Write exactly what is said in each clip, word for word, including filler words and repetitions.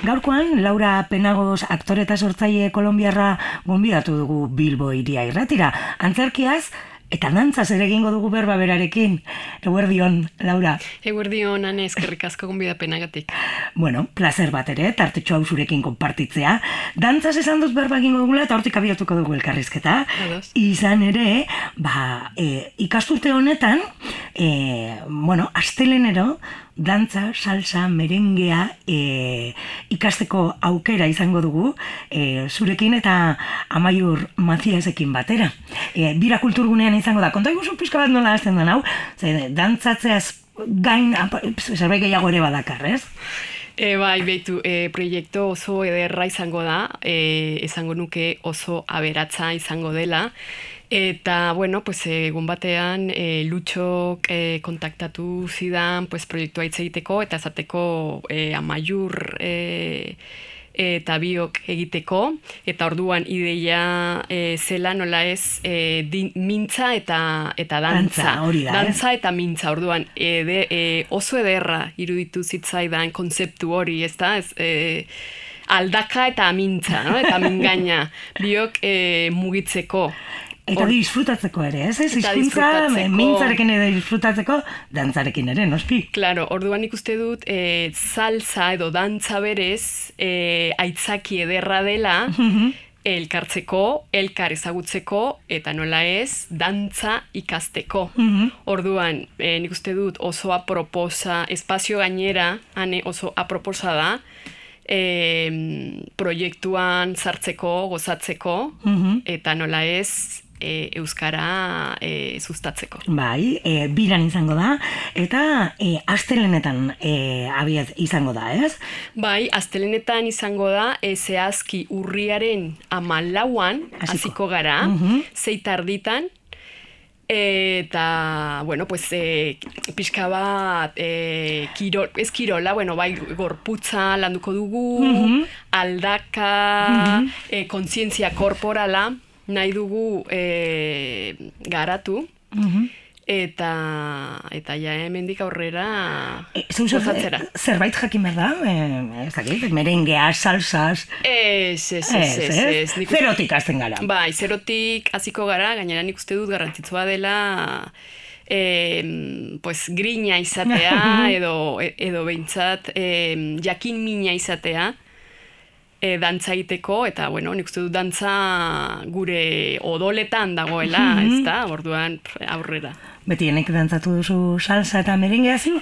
Gaurkoan, Laura Penagos aktore eta sortzaile kolonbiarra gonbidatu dugu Bilbo Hiria Irratira. Antzerkiaz eta dantzaz ere egingo dugu berba berarekin. Eguerdion, Laura. Eguerdion, Ane, eskerrik asko gonbidapenagatik. Bueno, placer bat ere, tartetxo hau zurekin konpartitzea. Dantzaz esan dut berba egingo dugula eta hortik abiatuko dugu elkarrizketa. Ados. Izan ere, ba, e, ikasturte honetan, e, bueno, astelenero, dantza, salsa, merengea e, ikasteko aukera izango dugu e, zurekin eta Amaiur Maciasekin batera. E, bira kulturgunean izango da. Konta iguzu pixka bat nola hasten den hau? Ze, dantzatzeaz gain zerbait gehiago ere badakar, ez? E, bai, behitu, e, proiektu oso ederra izango da, e, esango nuke oso aberatza izango dela. Eta, bueno, pues, egun batean e, Lutxok e, kontaktatu zidan pues, proiektua hitz egiteko eta esateko e, Amaiur e, eta biok egiteko. Eta orduan ideia e, zela nola ez e, din, mintza eta, eta dantza. Dantza, hori da, dantza eta mintza, orduan e, de, e, oso ederra iruditu zitzaidan kontzeptu hori, ez da? Ez, e, aldaka eta mintza, no? Eta mingaina, biok e, mugitzeko. Eta Or... disfrutatzeko ere, ez? Ez izkuntza, mintzarekin ere disfrutatzeko, dantzarekin ere, noski? Claro, orduan ikuste dut, e, salsa edo dantza berez, e, aitzaki ederra dela, elkartzeko, elkar ezagutzeko, eta nola ez, dantza ikasteko. Orduan, e, nik uste dut oso aproposa, espazio gainera, ane oso aproposa da, e, proiektuan sartzeko, gozatzeko, eta nola ez, E, euskara e, sustatzeko. Bai, e, biran izango da, eta e, astelenetan e, abiaz izango da, ez? Bai, astelenetan izango da, e, zehazki urriaren amalauan hasiko gara, uh-huh. zeitarditan, eta, bueno, pues, e, pixka bat, e, kirol, ez kirola, bueno, bai, gorputza landuko dugu, uh-huh. aldaka, uh-huh. e, kontzientzia korporala, nahi dugu e, garatu, uh-huh. eta eta ja hemendik aurrera e, gozatzera. Zerbait jakin behar da? E, ez dakit, merengea, salsas... Ez, ez, ez, ez, ez. ez. Zerotik hasten gara. Bai, zerotik hasiko gara, gainera nik uste dut garrantzitsua dela... E, pues, grina izatea, edo, edo behintzat e, jakin mina izatea, E, dantza egiteko, eta, bueno, nik uste dut dantza gure odoletan dagoela, ez da, orduan aurrera. Beti enek dantzatu duzu salsa eta merengea zu?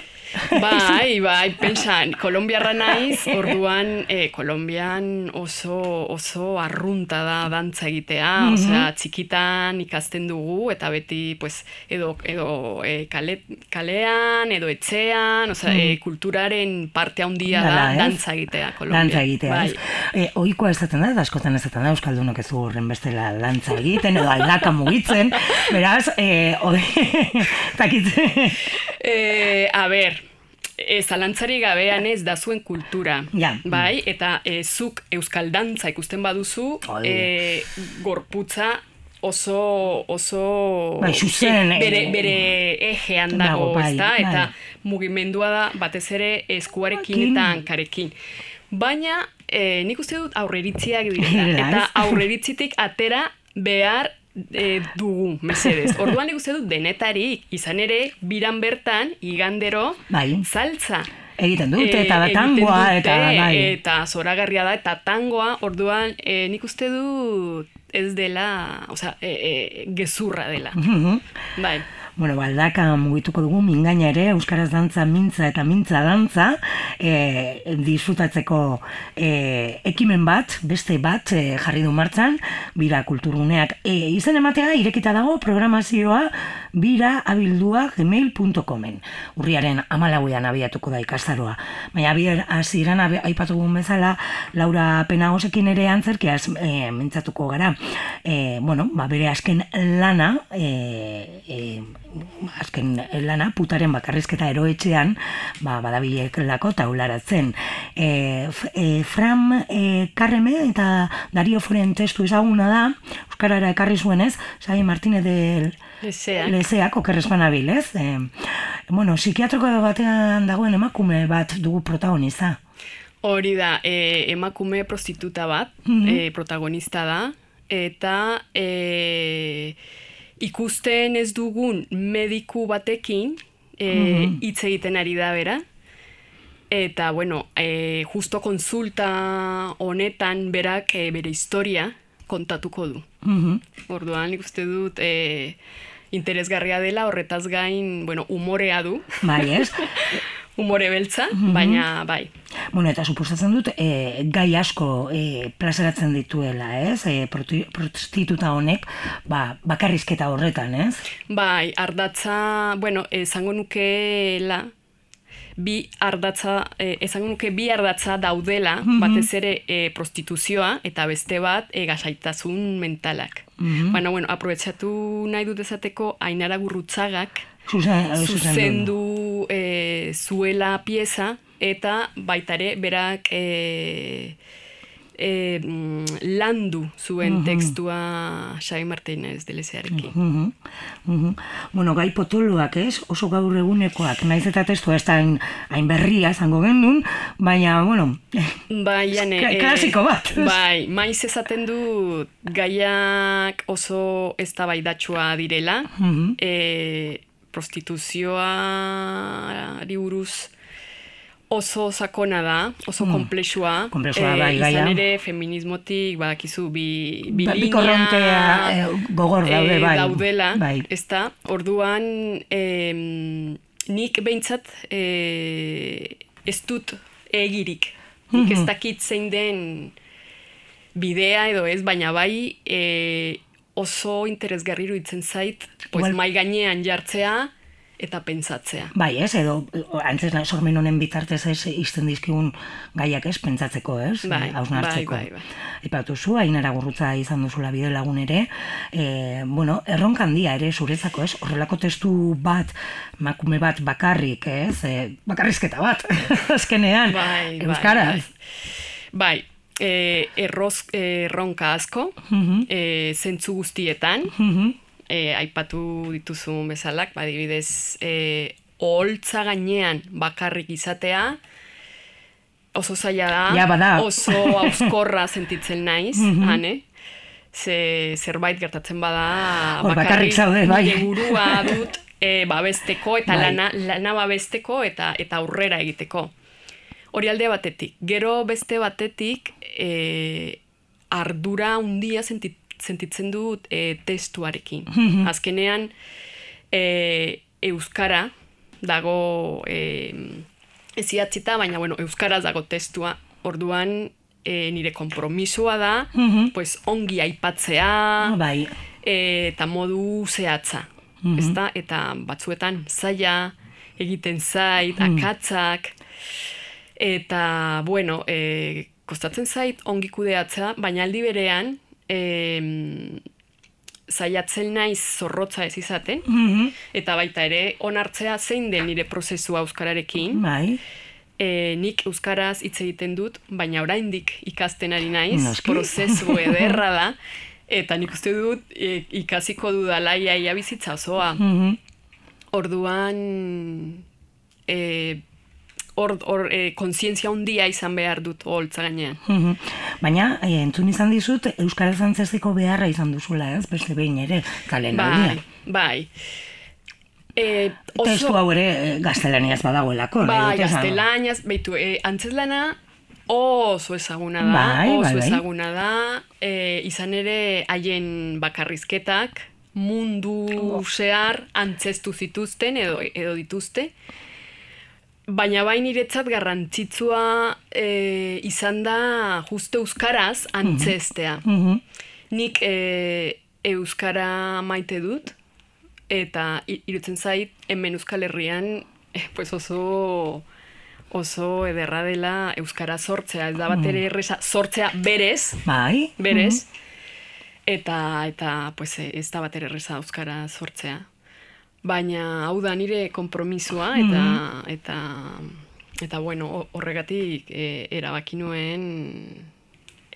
Bai, bai, pensan, kolombiarra naiz, orduan, e, Kolombian oso, oso arrunta da dantza egitea, mm-hmm. osea, txikitan ikasten dugu, eta beti, pues, edo, edo e, kale, kalean, edo etxean, osea, mm. e, kulturaren parte handia da, da dantza egitea, Kolombian. Dantza egitea, bai. E, oikoa ezaten da, eta askotan ezaten da, euskaldunok ez du horren bestela dantza egiten, edo aldaka mugitzen, beraz, e, ode, takitzen. E, a ber, e, zalantzari gabean ez da zuen kultura, ja. bai, eta e, zuk euskal dantza ikusten baduzu, e, gorputza oso, oso bai, xuzen, e, bere, bere ejean dago, bai, ezta? Bai. Eta mugimendua da batez ere eskuarekin eta hankarekin. Baina, e, nik uste dut aurreritziak dira, eta aurreritzitik atera behar E, dugu, mesedez. Orduan nik uste dut denetarik, izan ere, biran bertan, igandero, bai. saltza. Egiten dute, eta e, tangoa, eta bai. Eta zoragarria da, eta tangoa, orduan, e, nik uste dut ez dela, osea, e, e, gezurra dela. Uh-huh. Bai. Bueno, baldaka mugituko dugu mingaina ere, euskaraz dantza, mintza eta mintza dantza, e, disfrutatzeko e, ekimen bat, beste bat e, jarri du martzan, bira kulturguneak. E, izen ematea, irekita dago programazioa bira abildua gmail punto comen. Urriaren hamalauean abiatuko da ikastaroa. Baina abier hasieran aipatugun bezala, Laura Penagosekin ere antzerkiaz e, mintzatuko gara. E, bueno, ba, bere azken lana, e, e, azken lana, putaren bakarrizketa eroetxean, ba, badabilelako taularatzen. E, e, Fram e, Karreme eta Dario Foren testu ezaguna da, euskarara ekarri zuenez, Xabi Martínez de Lezeak, Lezeak okerrezpanabil, ez? E, bueno, psikiatroko batean dagoen emakume bat dugu protagoniza. Hori da, e, emakume prostituta bat, Mhm. e, protagonista da, eta e, ikusten ez dugun mediku batekin e, Mhm. hitz egiten ari da bera. Eta, bueno, e, justo konsulta honetan berak e, bere historia kontatuko du. Mhm. Orduan, nik uste dut e, interesgarria dela, horretaz gain, bueno, umorea du. Bai, ez? Umore beltza, Mhm. baina bai. Bueno, eta suposatzen dut, e, gai asko e, plazaratzen dituela, ez? E, proti- prostituta honek, ba, bakarrizketa horretan, ez? Bai, ardatza, bueno, esango nukeela, bi ardatza, eh, esango nuke bi ardatza daudela, Mhm. batez ere eh, prostituzioa, eta beste bat eh, gasaitasun mentalak. Mhm. Baina, bueno, aprobetxatu nahi dut esateko, Ainara Gurrutzagak Zuzen, zuzendu eh, zuela pieza, eta baitare berak eh, eh, mm, landu zuen Mhm. tekstua Xabi Martínez de Lezearekin. Mhm, mhm. Bueno, gai potoloak, ez? Oso gaur egunekoak, naiz eta testua ez da hain, hain berria zango gendun, baina, bueno, Bai, jane, Ka- klasiko bat. Bai, maiz esaten du gaiak oso eztabaidatsua direla, mhm, e, prostituzioari buruz oso sakona da, oso Mm. komplexua. Konplexua, eh, bai, gaia. Izan ere, feminismotik, badakizu, bi, bi Ba- bi linea, korrontea, eh, gogor daude, eh, bai. daudela, Bai. ezta? Orduan, em, nik behintzat eh, ez dut egirik. Nik ez Mhm. dakit zein den bidea edo ez, baina bai eh, oso interesgarri iruditzen zait, pues, Igual- mai gainean jartzea eta pentsatzea. Bai, ez, edo antzes sormen honen bitartez ez izten dizkigun gaiak ez, pentsatzeko, ez, Bai, hausnartzeko. bai, bai, bai. Aipatu zu, Ainara Gurrutza izan duzula bide lagun ere, e, bueno, erronka handia ere zuretzako, ez, horrelako testu bat, makume bat bakarrik, ez, e, bakarrizketa bat, azkenean, Bai, bai, euskaraz. Bai, eh, erroz, erronka asko, Mhm, eh, zentzu guztietan, mhm, eh, aipatu dituzun bezalak, badibidez, eh, oholtza gainean bakarrik izatea, oso zaila da, Ja, bada. oso auskorra sentitzen naiz, Mhm. hane, ze zerbait gertatzen bada, Hor, bakarrik zaude, bai. nire burua dut eh, babesteko, eta Bai. lana, lana babesteko, eta, eta aurrera egiteko. Hori alde batetik. Gero beste batetik, eh, ardura handia sentit, sentitzen dut eh, testuarekin. Mhm. Azkenean, eh, euskara dago eh, ez idatzita, baina bueno, euskaraz dago testua. Orduan, eh, nire konpromisua da, Mhm. pues, ongi aipatzea, bai, eh, eta modu zehatza. Mhm. Ezta? Eta batzuetan zaila, egiten zait, Mhm. akatzak, eta, bueno, e, kostatzen zait ongi kudeatzea, baina aldi berean, e, zaiatzen naiz zorrotza ez izaten, mhm, eta baita ere onartzea zein den nire prozesua euskararekin. bai, E, nik euskaraz hitz egiten dut, baina oraindik ikasten ari naiz, Noski. prozesu ederra da, eta nik uste dut e, ikasiko dudala ia, ia bizitza osoa. mhm, Orduan, e, hor, hor e, kontzientzia handia izan behar dut holtza gainean. mhm. Baina, e, entzun izan dizut, euskaraz antzestiko beharra izan duzula, ez, beste behin ere, kalen Bai, bai. E, Testu hau ere eh, gaztelaniaz badagoelako. nahi Bai, dut esan. gaztelaniaz, beitu, e, antzeslana oso ezaguna da, Bai, oso bai, bai. ezaguna da, e, izan ere haien bakarrizketak mundu Oh. zehar antzestu zituzten edo, edo dituzte, baina bai niretzat garrantzitsua e, izan da justo euskaraz antzestea. Mhm, Nik e, euskara maite dut, eta i- irutzen zait hemen Euskal Herrian eh, pues oso oso ederra dela euskara sortzea, ez da bat ere erresa sortzea berez, Bai. berez, eta eta pues eh, ez da bat ere erresa euskara sortzea. Baina hau da nire konpromisua eta eta eta bueno, ho- horregatik eh, erabaki nuen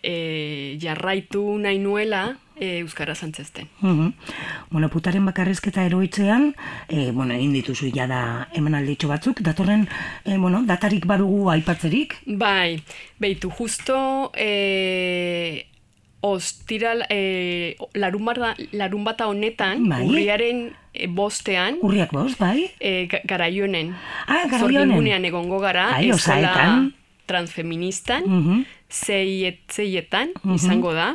eh, jarraitu nahi nuela eh, euskara antzesten. Mhm. bueno, putaren bakarrizketa eroitzean, e, bueno, egin dituzu jada emanalditxo batzuk, datorren, e, bueno, datarik badugu aipatzerik? Bai, beitu, justo e, ostiral, e, larun, bata, larun bata honetan, bai. urriaren e, bostean, Urriak bost, bai? E, Garaionen. Ah, Garaionen. Zorgingunean egongo gara, Ai, osaetan. Transfeministan, Uh-huh. zeiet, zeietan Uh-huh. izango da.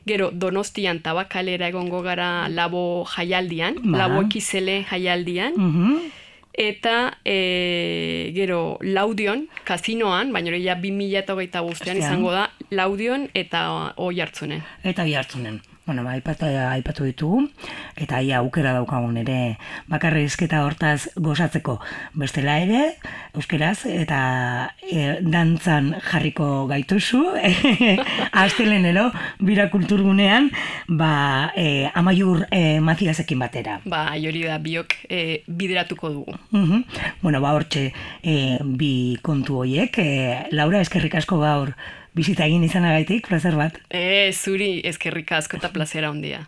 Gero, Donostian tabakalera egongo gara labo jaialdian, Ba. labo ekizele jaialdian. Uh-huh. Eta e, gero Laudion, kasinoan, baina hori ja bi mila hogeita bostean izango da, Laudion eta oi hartzunen. Eta oi hartzunen. Bueno, ba, aipatu, aipatu ditugu, eta ia aukera daukagun ere bakarrizketa hortaz gozatzeko. Bestela ere, euskeraz, eta e, dantzan jarriko gaituzu, astelenero, bira kulturgunean, ba, e, Amaiur e, Maziasekin batera. Ba, hori da, biok e, bideratuko dugu. Uh-huh. Bueno, ba, hortxe e, bi kontu horiek. E, Laura, eskerrik asko gaur bizita egin izanagaitik, plazer bat. E, zuri eskerrik asko eta plazera ondia.